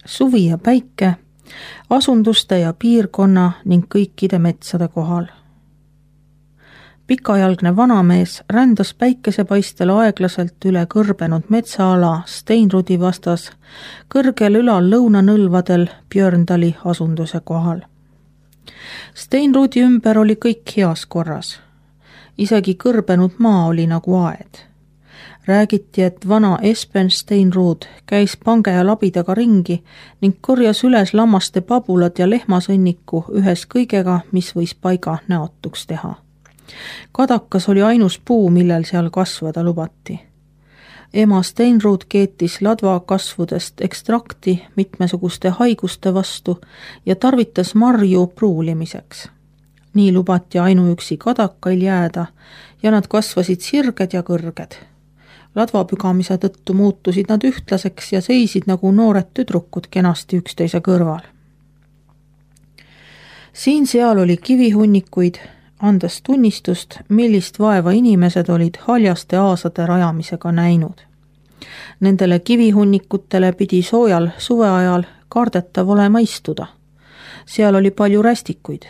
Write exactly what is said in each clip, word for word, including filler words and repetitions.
suvi ja päike, asunduste ja piirkonna ning kõikide metsade kohal. Pikajalgne vanamees rändas päikesepaistel aeglaselt üle kõrbenud metsaala Steinrudi vastas kõrgel ülal lõunanõlvadel Björndali asunduse kohal. Steinrudi ümber oli kõik heas korras. Isegi kõrbenud maa oli nagu aed. Räägiti, et vana Espen Steinrud käis pange ja labidaga ringi ning korjas üles lammaste pabulad ja lehmasõnniku ühes kõigega, mis võis paiga näotuks teha. Kadakas oli ainus puu, millel seal kasvada lubati. Ema Steinrud keetis ladva kasvudest ekstrakti mitmesuguste haiguste vastu ja tarvitas marju pruulimiseks. Nii lubati ainuüksi kadakail jääda ja nad kasvasid sirged ja kõrged. Ladvapügamise tõttu muutusid nad ühtlaseks ja seisid nagu noored tüdrukud kenasti üksteise kõrval. Siin seal oli kivihunnikuid, andes tunnistust, millist vaeva inimesed olid haljaste aasade rajamisega näinud. Nendele kivihunnikutele pidi soojal suveajal kardetav olema istuda. Seal oli palju rästikuid.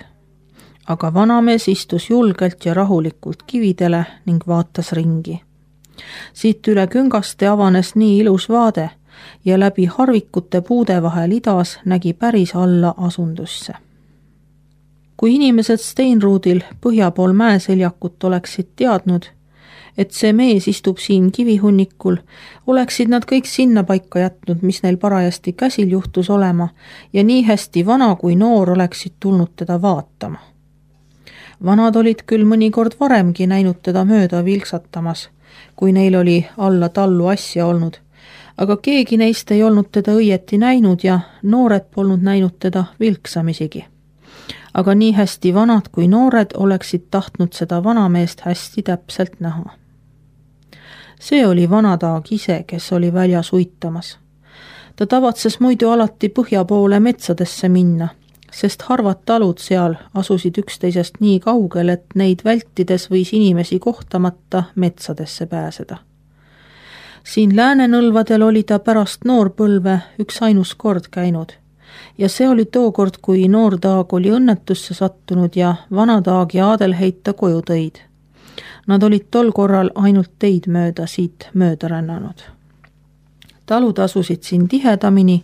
Aga vanamees istus julgelt ja rahulikult kividele ning vaatas ringi. Siit üle küngaste avanes nii ilus vaade ja läbi harvikute puude vahel idas nägi päris alla asundusse. Kui inimesed Steinrudil põhjapool mäeseljakut oleksid teadnud, et see mees istub siin kivihunnikul, oleksid nad kõik sinna paika jätnud, mis neil parajasti käsil juhtus olema ja nii hästi vana kui noor oleksid tulnud teda vaatama. Vanad olid küll mõnikord varemgi näinud teda mööda vilksatamas, kui neil oli alla tallu asja olnud, aga keegi neist ei olnud teda õieti näinud ja noored polnud näinud teda vilksamisigi. Aga nii hästi vanad kui noored oleksid tahtnud seda vanameest hästi täpselt näha. See oli vanadaag ise, kes oli väljas uitamas. Ta tavatses muidu alati põhja poole metsadesse minna, sest harvad talud seal asusid üksteisest nii kaugel, et neid vältides võis inimesi kohtamata metsadesse pääseda. Siin Läänenõlvadel oli ta pärast noorpõlve üks ainus kord käinud ja see oli tookord, kui noordaag oli õnnetusse sattunud ja vanadaag ja Adelheid ta koju tõid. Nad olid tol korral ainult teid mööda siit mööda rännanud. Talud asusid siin tihedamini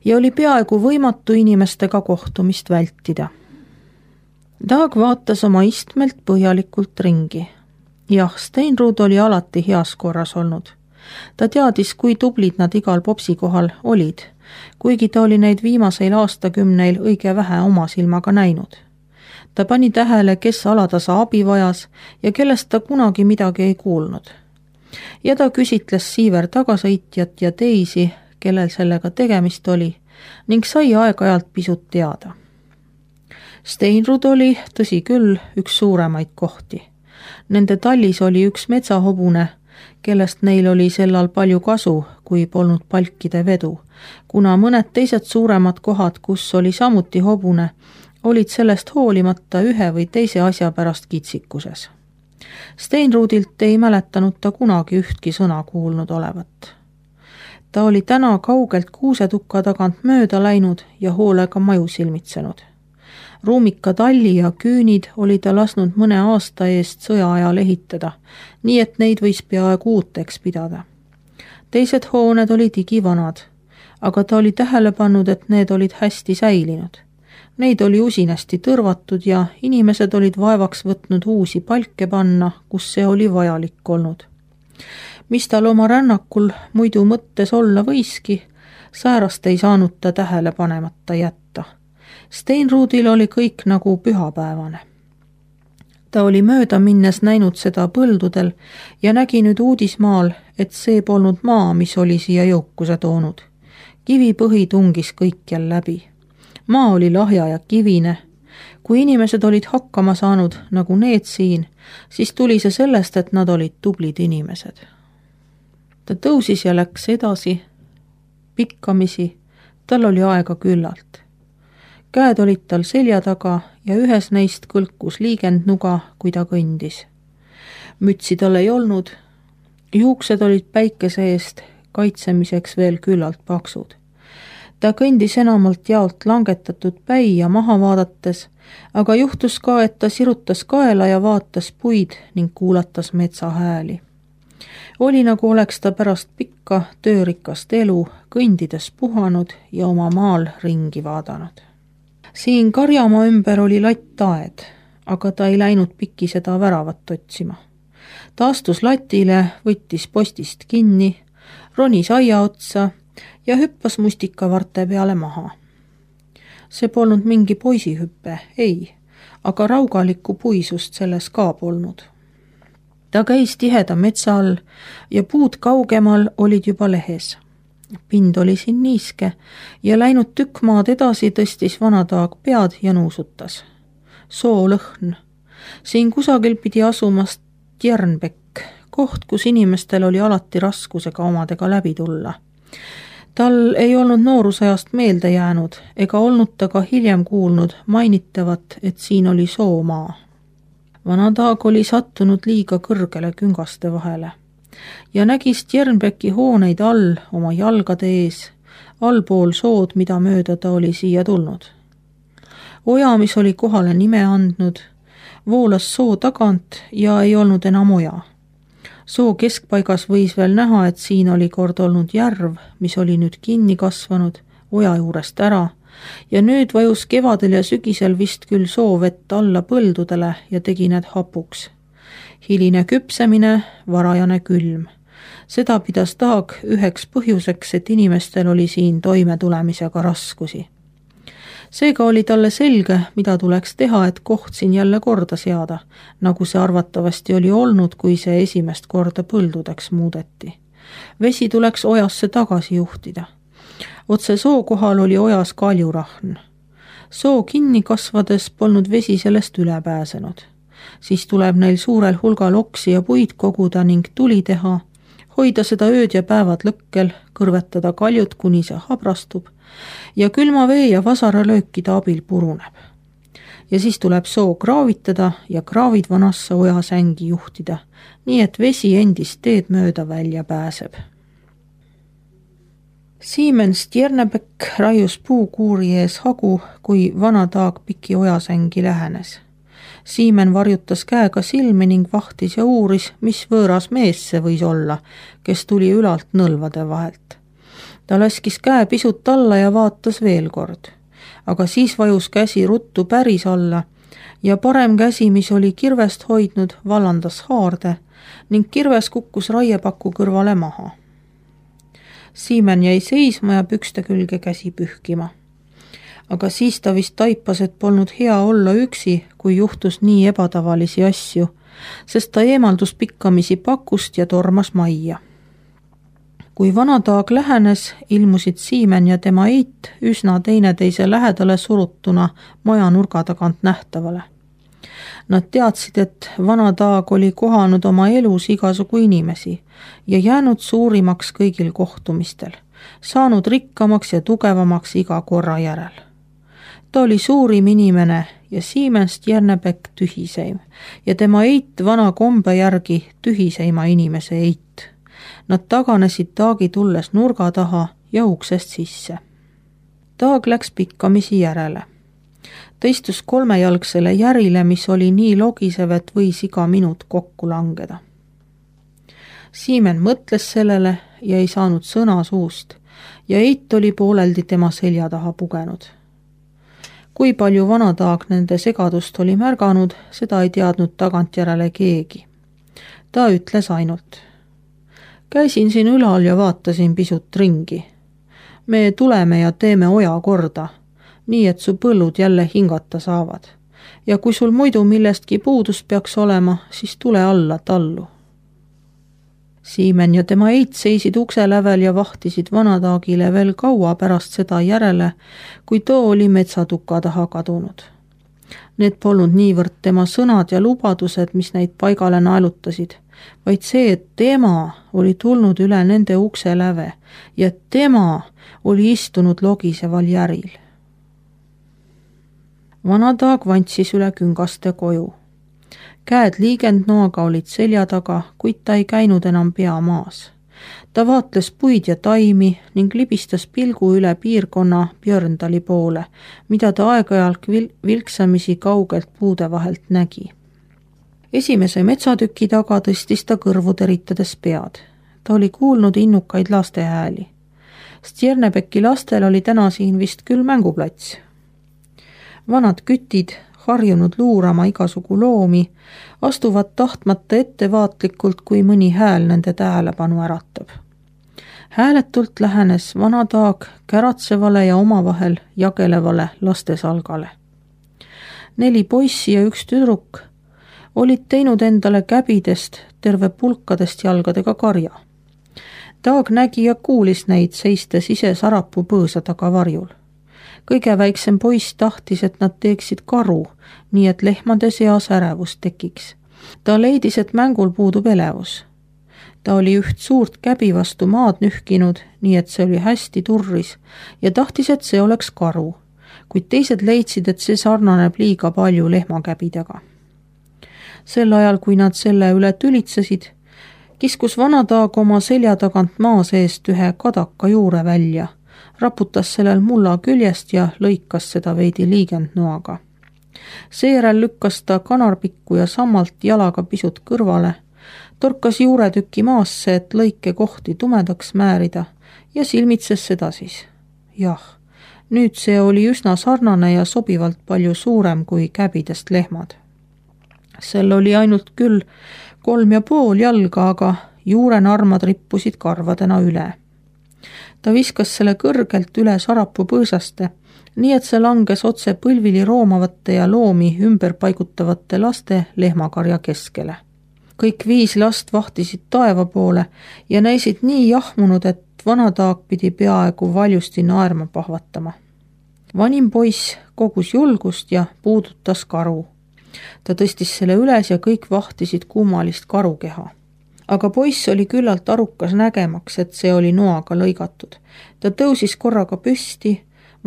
ja oli peaaegu võimatu inimestega kohtumist vältida. Daag vaatas oma istmelt põhjalikult ringi. Jah, Steinrud oli alati heas korras olnud. Ta teadis, kui tublid nad igal popsi kohal olid, kuigi ta oli neid viimaseil aastakümneil õige vähe oma silmaga näinud. Ta pani tähele, kes alatasa abi vajas ja kellest ta kunagi midagi ei kuulnud. Ja ta küsitles siiver tagasõitjat ja teisi, kellel sellega tegemist oli, ning sai aeg-ajalt pisut teada. Steinrud oli, tõsi küll, üks suuremaid kohti. Nende tallis oli üks metsahobune, kellest neil oli sellal palju kasu, kui polnud palkide vedu, kuna mõned teised suuremad kohad, kus oli samuti hobune, olid sellest hoolimata ühe või teise asja pärast kitsikuses. Steinrudilt ei mäletanud ta kunagi ühtki sõna kuulnud olevat. Ta oli täna kaugelt kuusetukka tagant mööda läinud ja hoolega maju silmitsenud. Ruumika talli ja küünid oli ta lasnud mõne aasta eest sõja ajal ehitada, nii et neid võis peaaegu uuteks pidada. Teised hooned olid igivanad, aga ta oli tähele pannud, et need olid hästi säilinud. Neid oli usinasti tõrvatud ja inimesed olid vaevaks võtnud uusi palke panna, kus see oli vajalik olnud. Mis tal oma rännakul muidu mõttes olla võiski, säärast ei saanud ta tähele panemata jätta. Steinrudil oli kõik nagu pühapäevane. Ta oli mööda minnes näinud seda põldudel ja nägi nüüd uudismaal, et see polnud maa, mis oli siia jõukuse toonud. Kivipõhi tungis kõikjal läbi. Maa oli lahja ja kivine. Kui inimesed olid hakkama saanud nagu need siin, siis tuli see sellest, et nad olid tublid inimesed. Ta tõusis ja läks edasi, pikkamisi, tal oli aega küllalt. Käed olid tal selja taga ja ühes neist kõlkus liigendnuga, kui ta kõndis. Mütsi tal ei olnud, juuksed olid päikese eest kaitsemiseks veel küllalt paksud. Ta kõndis enamalt jaolt langetatud päia maha vaadates, aga juhtus ka, et ta sirutas kaela ja vaatas puid ning kuulatas metsa hääli. Oli nagu oleks ta pärast pikka töörikast elu kõndides puhanud ja oma maal ringi vaadanud. Siin karjamaa ümber oli lattaed, aga ta ei läinud pikki seda väravat otsima. Ta astus latile, võttis postist kinni, ronis aia otsa ja hüppas mustikavarte peale maha. See polnud mingi poisihüppe, ei, aga raugalikku puisust selles ka polnud. Ta käis tiheda metsa all ja puud kaugemal olid juba lehes. Pind oli siin niiske ja läinud tükk maad edasi tõstis vanataag pead ja nuusutas. Soo lõhn. Siin kusagil pidi asumast Tjernbekk, koht, kus inimestel oli alati raskusega omadega läbi tulla. Tal ei olnud noorusajast meelde jäänud ega olnud ta ka hiljem kuulnud mainitavat, et siin oli soomaa. Vanataag oli sattunud liiga kõrgele küngaste vahele ja nägis Tjernbekki hooneid all oma jalgade ees, allpool sood, mida mööda ta oli siia tulnud. Oja, mis oli kohale nime andnud, voolas soo tagant ja ei olnud enam oja. Soo keskpaigas võis veel näha, et siin oli kord olnud järv, mis oli nüüd kinni kasvanud, oja juurest ära, ja nüüd vajus kevadel ja sügisel vist küll soovett alla põldudele ja tegi need hapuks. Hiline küpsemine, varajane külm. Seda pidas Taag üheks põhjuseks, et inimestel oli siin toimetulemisega raskusi. Seega oli talle selge, mida tuleks teha, et koht siin jälle korda seada, nagu see arvatavasti oli olnud, kui see esimest korda põldudeks muudeti. Vesi tuleks ojasse tagasi juhtida. Otse soo kohal oli ojas kaljurahn. Soo kinni kasvades polnud vesi sellest üle pääsenud. Siis tuleb neil suurel hulgal oksi ja puid koguda ning tuli teha, hoida seda ööd ja päevad lõkkel, kõrvetada kaljut, kuni see habrastub, ja külma vee ja vasara löökide abil puruneb. Ja siis tuleb soo kraavitada ja kraavid vanasse ojasängi juhtida, nii et vesi endist teed mööda välja pääseb. Siemens Tjernbekk raius puukuuri ees hagu, kui Vanataag piki ojasängi lähenes. Siimen varjutas käega silmi ning vahtis ja uuris, mis võõras mees see võis olla, kes tuli ülalt nõlvade vahelt. Ta laskis käe pisut alla ja vaatas veel kord, aga siis vajus käsi ruttu päris alla ja parem käsi, mis oli kirvest hoidnud, vallandas haarde ning kirves kukkus raiepaku kõrvale maha. Siimen jäi seisma ja pükste külge käsi pühkima. Aga siis ta vist taipas, et polnud hea olla üksi, kui juhtus nii ebatavalisi asju, sest ta eemaldus pikkamisi pakust ja tormas majja. Kui Vanataag lähenes, ilmusid Siimen ja tema eit üsna teineteise lähedale surutuna maja nurga tagant nähtavale. Nad teadsid, et Vanataag oli kohanud oma elus igasugu inimesi ja jäänud suurimaks kõigil kohtumistel, saanud rikkamaks ja tugevamaks iga korra järel. Ta oli suurim inimene ja Siemens Tjernbekk tühiseim ja tema eit vana kombe järgi tühiseima inimese eit. Nad taganesid Taagi tulles nurga taha ja uksest sisse. Taag läks pikkamisi järele. Ta istus kolmejalgsele järile, mis oli nii logisev, et võis iga minut kokku langeda. Siimen mõtles sellele ja ei saanud sõna suust ja eit oli pooleldi tema selja taha pugenud. Kui palju Vanataag nende segadust oli märganud, seda ei teadnud tagantjärele keegi. Ta ütles ainult: käisin siin ülal ja vaatasin pisut ringi. Me tuleme ja teeme oja korda, nii et su põllud jälle hingata saavad. Ja kui sul muidu millestki puudus peaks olema, siis tule alla tallu. Siimen ja tema eit seisid ukse lävel ja vahtisid Vanataagile veel kaua pärast seda järele, kui too oli metsatuka taha kadunud. Need polnud niivõrd tema sõnad ja lubadused, mis neid paigale naelutasid, vaid see, et tema oli tulnud üle nende ukse läve ja tema oli istunud logiseval järil. Vanataag vantsis üle küngaste koju. Käed liigendnoaga olid selja taga, kuid ta ei käinud enam pea maas. ta vaatles puid ja taimi ning libistas pilgu üle piirkonna Björndali poole, mida ta aeg-ajalt vil- vilksamisi kaugelt puude vahelt nägi. Esimese metsatüki taga tõstis ta kõrvu teritades pead. Ta oli kuulnud innukaid laste hääli. Stjernebeki lastel oli täna siin vist küll mänguplats. Vanad kütid, harjunud luurama igasugu loomi, astuvad tahtmata ettevaatlikult, kui mõni hääl nende tähelepanu äratab. Hääletult lähenes vana Taag käratsevale ja omavahel jagelevale lastesalgale. Neli poissi ja üks tüdruk olid teinud endale käbidest terve pulkadest jalgadega karja. Taag nägi ja kuulis neid seistes ise sarapuu põõsa taga varjul. Kõige väiksem poiss tahtis, et nad teeksid karu, nii et lehmade seas ärevus tekiks. Ta leidis, et mängul puudub elevus. Ta oli üht suurt käbi vastu maad nühkinud, nii et see oli hästi turris ja tahtis, et see oleks karu, kuid teised leidsid, et see sarnaneb liiga palju lehmakäbidega. Sel ajal, kui nad selle üle tülitsesid, kiskus vana Taag oma selja tagant maa seest ühe kadaka juure välja, raputas sellel mulla küljest ja lõikas seda veidi liigendnoaga. Seejärel lükkas ta kanarpikku ja sammalt jalaga pisut kõrvale, torkas juuretüki maasse, et lõike kohti tumedaks määrida ja silmitses seda siis. Jah, nüüd see oli üsna sarnane ja sobivalt palju suurem kui käbidest lehmad. Sel oli ainult küll kolm ja pool jalga, aga juurenarmad rippusid karvadena üle. Ta viskas selle kõrgelt üle sarapuu põõsaste, nii et see langes otse põlvili roomavate ja loomi ümber paigutavate laste lehmakarja keskele. Kõik viis last vahtisid taeva poole ja näisid nii jahmunud, et vana Taag pidi peaaegu valjusti naerma pahvatama. Vanim poiss kogus julgust ja puudutas karu. Ta tõstis selle üles ja kõik vahtisid kummalist karukeha. Aga poiss oli küllalt arukas nägemaks, et see oli noaga lõigatud. Ta tõusis korraga püsti,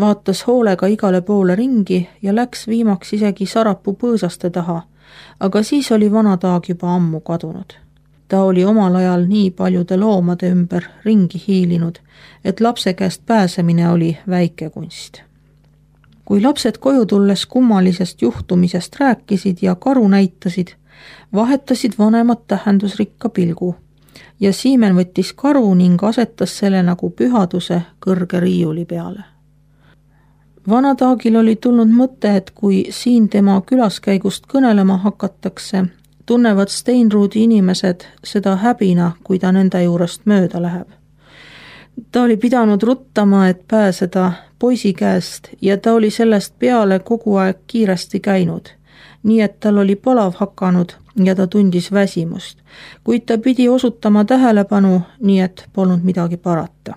vaatas hoolega igale poole ringi ja läks viimaks isegi sarapuu põõsaste taha, aga siis oli vana Taag juba ammu kadunud. Ta oli omal ajal nii paljude loomade ümber ringi hiilinud, et lapse käest pääsemine oli väike kunst. Kui lapsed koju tulles kummalisest juhtumisest rääkisid ja karu näitasid, vahetasid vanemad tähendusrikka pilgu ja Siimen võttis karu ning asetas selle nagu pühaduse kõrge riiuli peale. Vana Taagil oli tulnud mõte, et kui siin tema külaskäigust kõnelema hakatakse, tunnevad Steinruudi inimesed seda häbina, kui ta nende juurest mööda läheb. Ta oli pidanud ruttama, et pääseda poisi käest ja ta oli sellest peale kogu aeg kiiresti käinud, nii et tal oli palav hakanud ja ta tundis väsimust, kuid ta pidi osutama tähelepanu, nii et polnud midagi parata.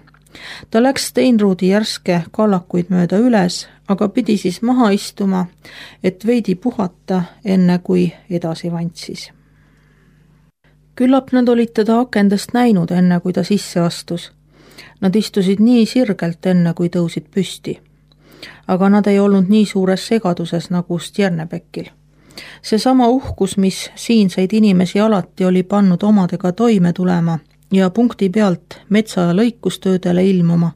Ta läks Steinruudi järske kallakuid mööda üles, aga pidi siis maha istuma, et veidi puhata, enne kui edasi vantsis. Küllap nad olid teda akendest näinud, enne kui ta sisse astus. Nad istusid nii sirgelt enne, kui tõusid püsti. Aga nad ei olnud nii suures segaduses nagu Stjernebekil. See sama uhkus, mis siinseid inimesi alati oli pannud omadega toime tulema ja punkti pealt metsa- ja lõikustöödele ilmuma,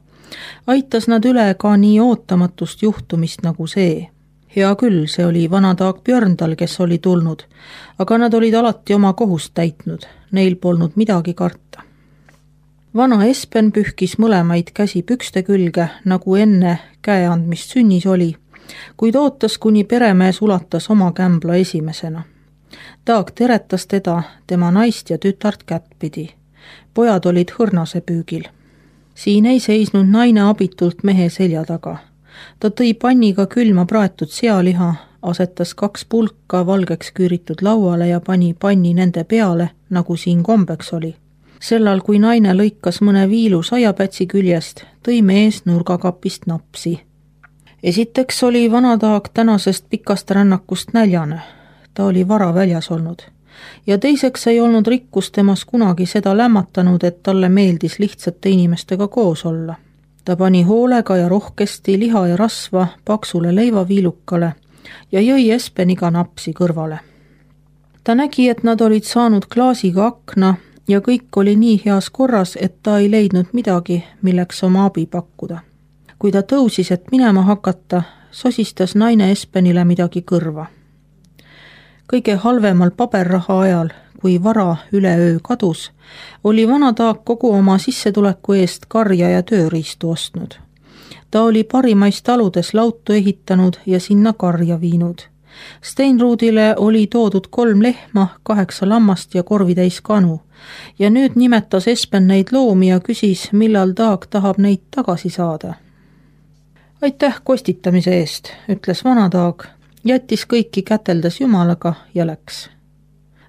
aitas nad üle ka nii ootamatust juhtumist nagu see. Hea küll, see oli vana Taag Björndal, kes oli tulnud, aga nad olid alati oma kohust täitnud, neil polnud midagi karta. Vana Espen pühkis mõlemaid käsi pükste külge, nagu enne käe andmist sünnis oli, kuid ootas, kuni peremees ulatas oma kämbla esimesena. Taag teretas teda, tema naist ja tütart kättpidi. Pojad olid hõrnase püügil. Siin ei seisnud naine abitult mehe selja taga. Ta tõi panniga külma praetud sealiha, asetas kaks pulka valgeks küüritud lauale ja pani panni nende peale, nagu siin kombeks oli. Sellal, kui naine lõikas mõne viilu saiapätsi küljest, tõi mees nurgakapist napsi. Esiteks oli vana Taag tänasest pikast rännakust näljane. Ta oli vara väljas olnud. Ja teiseks ei olnud rikkus temas kunagi seda lämmatanud, et talle meeldis lihtsate inimestega koos olla. Ta pani hoolega ja rohkesti liha ja rasva paksule leivaviilukale ja jõi Espeniga napsi kõrvale. Ta nägi, et nad olid saanud klaasiga akna, ja kõik oli nii heas korras, et ta ei leidnud midagi, milleks oma abi pakkuda. Kui ta tõusis, et minema hakata, sosistas naine Espenile midagi kõrva. Kõige halvemal paberraha ajal, kui vara üleöö kadus, oli vana Taag kogu oma sissetuleku eest karja ja tööriistu ostnud. Ta oli parimais taludes lautu ehitanud ja sinna karja viinud. Steinruudile oli toodud kolm lehma, kaheksa lammast ja korvitäis kanu ja nüüd nimetas Espen neid loomi ja küsis, millal Taag tahab neid tagasi saada. Aitäh kostitamise eest, ütles vana Taag, jättis kõiki käteldes Jumalaga ja läks.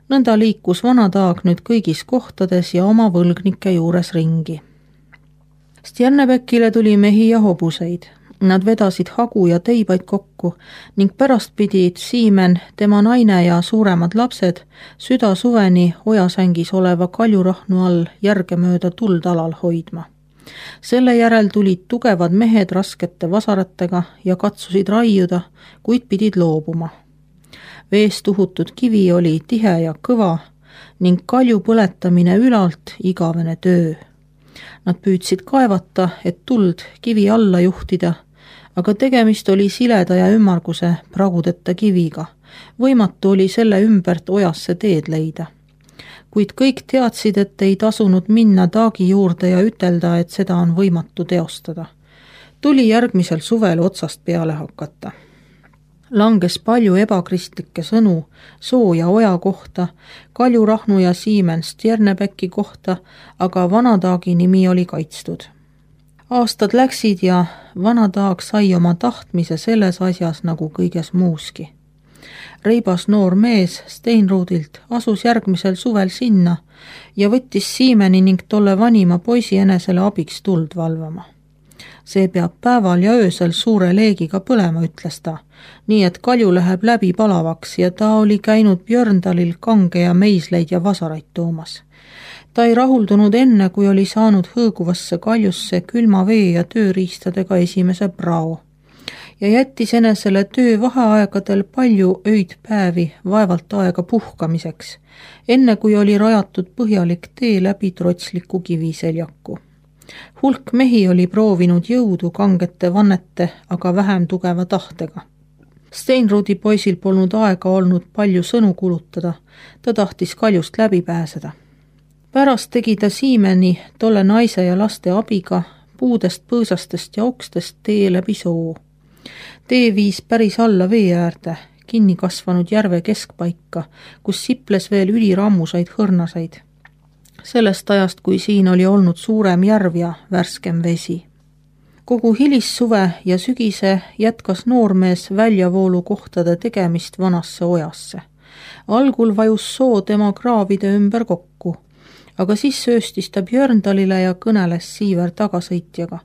Nõnda liikus vana Taag nüüd kõigis kohtades ja oma võlgnike juures ringi. Stjernebekile tuli mehi ja hobuseid. Nad vedasid hagu ja teibaid kokku ning pärast pidid Siimen, tema naine ja suuremad lapsed süda suveni ojasängis oleva kaljurahnu all järgemööda tuld alal hoidma. Selle järel tulid tugevad mehed raskete vasaratega ja katsusid raiuda, kuid pidid loobuma. Veest uhutud kivi oli tihe ja kõva ning kalju põletamine ülalt igavene töö. Nad püüdsid kaevata, et tuld kivi alla juhtida, aga tegemist oli sileda ja ümmarguse pragudeta kiviga. Võimatu oli selle ümbert ojasse teed leida. Kuid kõik teadsid, et ei tasunud minna Taagi juurde ja ütelda, et seda on võimatu teostada. Tuli järgmisel suvel otsast peale hakata. Langes palju ebakristlikke sõnu Soo ja Oja kohta, Kaljurahnu ja Siimen Stjernebeki kohta, aga vana Taagi nimi oli kaitstud. Aastad läksid ja vana Taag sai oma tahtmise selles asjas nagu kõiges muuski. Reibas noor mees Steinruudilt asus järgmisel suvel sinna ja võttis Siimeni ning tolle vanima poisi enesele abiks tuld valvama. See peab päeval ja öösel suure leegiga põlema, ütles ta, nii et kalju läheb läbi palavaks ja ta oli käinud Björndalil kange ja meisleid ja vasaraid toomas. Ta ei rahuldunud enne, kui oli saanud hõõguvasse kaljusse külma vee ja tööriistadega esimese prao ja jättis enesele töö vaheaegadel palju öid päevi vaevalt aega puhkamiseks, enne kui oli rajatud põhjalik tee läbi trotsliku kiviseljaku. Hulk mehi oli proovinud jõudu kangete vannete, aga vähem tugeva tahtega. Steinruudi poisil polnud aega olnud palju sõnu kulutada, ta tahtis kaljust läbi pääseda. Pärast tegi ta Siimeni, tolle naise ja laste abiga, puudest, põõsastest ja okstest tee läbi Soo. Tee viis päris alla vee äärde, kinni kasvanud järve keskpaika, kus siples veel ülirammusaid hõrnasaid. Sellest ajast, kui siin oli olnud suurem järv ja värskem vesi. Kogu hilissuve ja sügise jätkas noormees väljavoolu kohtade tegemist vanasse ojasse. Algul vajus Soo tema kraavide ümber kokku, aga siis sööstis ta Björndalile ja kõneles Siiver tagasõitjaga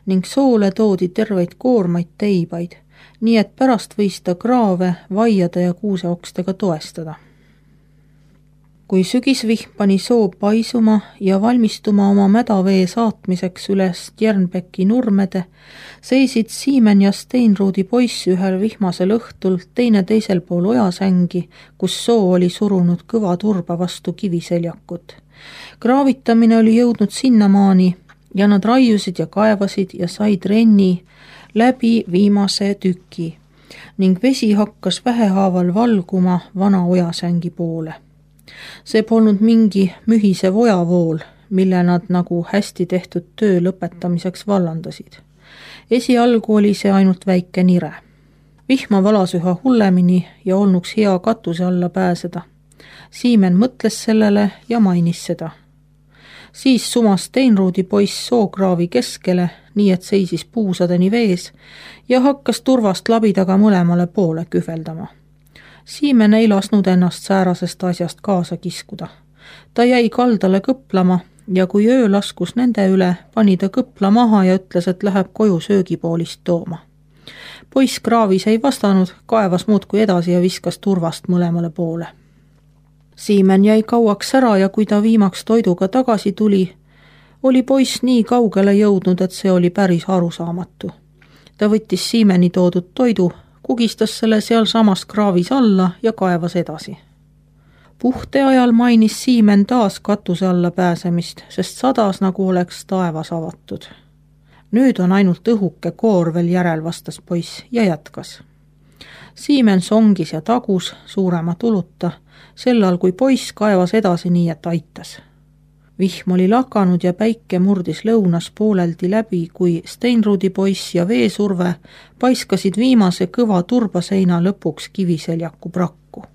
ning Soole toodi terveid koormaid teibaid, nii et pärast võis ta kraave, vaiade ja kuuseokstega toestada. Kui sügisvihm pani Soo paisuma ja valmistuma oma mädavee saatmiseks üles Stjernbeki nurmede, seisid Siimen ja Steinruudi poiss ühel vihmasel õhtul teine teisel pool ojasängi, kus Soo oli surunud kõva turba vastu kiviseljakut. Kraavitamine oli jõudnud sinnamaani ja nad raiusid ja kaevasid ja said renni läbi viimase tüki ning vesi hakkas vähehaaval valguma vana ojasängi poole. See polnud mingi mühisev ojavool, mille nad nagu hästi tehtud töö lõpetamiseks vallandasid. Esialgu oli see ainult väike nire. Vihma valas üha hullemini ja olnuks hea katuse alla pääseda. Siimen mõtles sellele ja mainis seda. Siis sumas Steinruudi poiss Sookraavi keskele, nii et seisis puusadeni vees ja hakkas turvast labidaga mõlemale poole kühveldama. Siimen ei lasnud ennast säärasest asjast kaasa kiskuda. Ta jäi kaldale kõplama ja kui öö laskus nende üle, pani ta kõpla maha ja ütles, et läheb koju söögipoolist tooma. Poiss kraavis ei vastanud, kaevas muudkui edasi ja viskas turvast mõlemale poole. Siimen jäi kauaks ära ja kui ta viimaks toiduga tagasi tuli, oli poiss nii kaugele jõudnud, et see oli päris arusaamatu. Ta võttis Siimeni toodud toidu, kugistas selle seal samas kraavis alla ja kaevas edasi. Puhte ajal mainis Siimen taas katuse alla pääsemist, sest sadas nagu oleks taevas avatud. Nüüd on ainult õhuke koor veel järel, vastas poiss ja jätkas. Siimen songis ja tagus suurema tuluta, sellal kui poiss kaevas edasi nii, et aitas. Vihm oli lakanud ja päike murdis lõunas pooleldi läbi, kui Steinrudi poiss ja veesurve paiskasid viimase kõva turbaseina lõpuks kiviseljaku prakku.